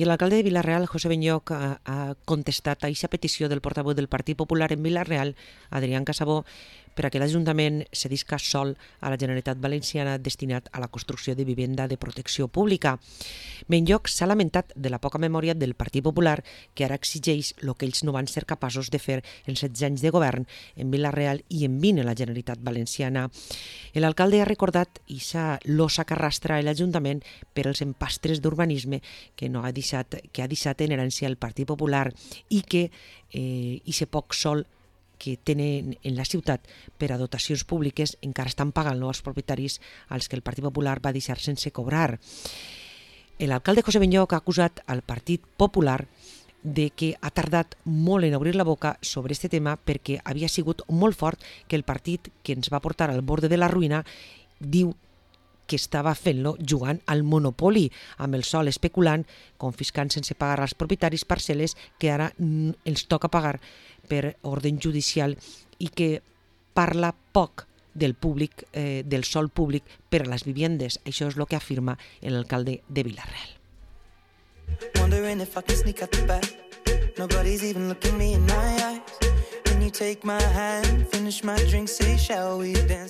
I l'alcalde de Vila-real, José Benlloch, ha contestat a aquesta petició del portaveu del Partit Popular en Vila-real, Adrián Casabó, per a que l'Ajuntament cedisca sòl a la Generalitat Valenciana destinat a la construcció de vivenda de protecció pública. Benlloch s'ha lamentat de la poca memòria del Partit Popular, que ara exigeix el que ells no van ser capaços de fer en 16 anys de govern en Vila-real i en 20 en la Generalitat Valenciana. L'alcalde ha recordat aquesta losa que arrastra l'Ajuntament per als empastres d'urbanisme que ha deixat en herència el Partit Popular i que aquest poc sòl que tenen en la ciutat per a dotacions públiques encara estan pagant als propietaris als que el Partit Popular va deixar sense cobrar. L'alcalde José Benlloch ha acusat al Partit Popular de que ha tardat molt en obrir la boca sobre aquest tema perquè havia sigut molt fort que el partit que ens va portar al borde de la ruïna diu que estava fent-lo jugant al monopoli amb el sòl especulant, confiscant sense pagar als propietaris parcel·les que ara els toca pagar per ordre judicial i que parla poc del públic, del sòl públic per a les vivendes. Això és el que afirma l'alcalde de Vila-real. Wondering if I can sneak out the back. Nobody's even looking me in my eyes. Can you take my hand, finish my drink, say shall we dance?